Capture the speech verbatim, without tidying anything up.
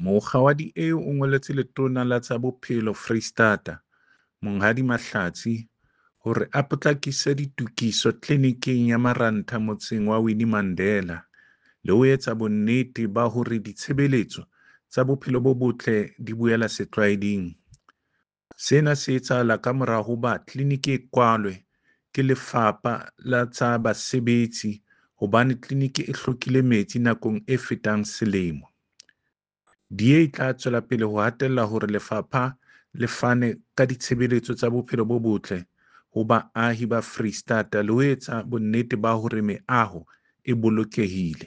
Mokga wa D A o ngoletse Letona la tsa Bophelo Foreisetata, Monghadi Mahlatsi, hore a potlakise ditokiso tleliniking ya Marantha motseng wa Winnie Mandela le ho etsa bonnete ba hore ditshebeletso tsa bophelo bo botle di boela setlwaeding. Sena se etsahala kamora hoba tleliniki e kwalwe ke Lefapha la tsa Basebetsi hobane tleliniki e hlokile metsi nakong e fetang selemo. D A e tla tswela pele ho hatella hore lefapha le fane ka ditshebeletso tsa bophelo bo botle ho baahi ba Foreisetata le ho etsa bonnete ba hore meaho e bolokehile.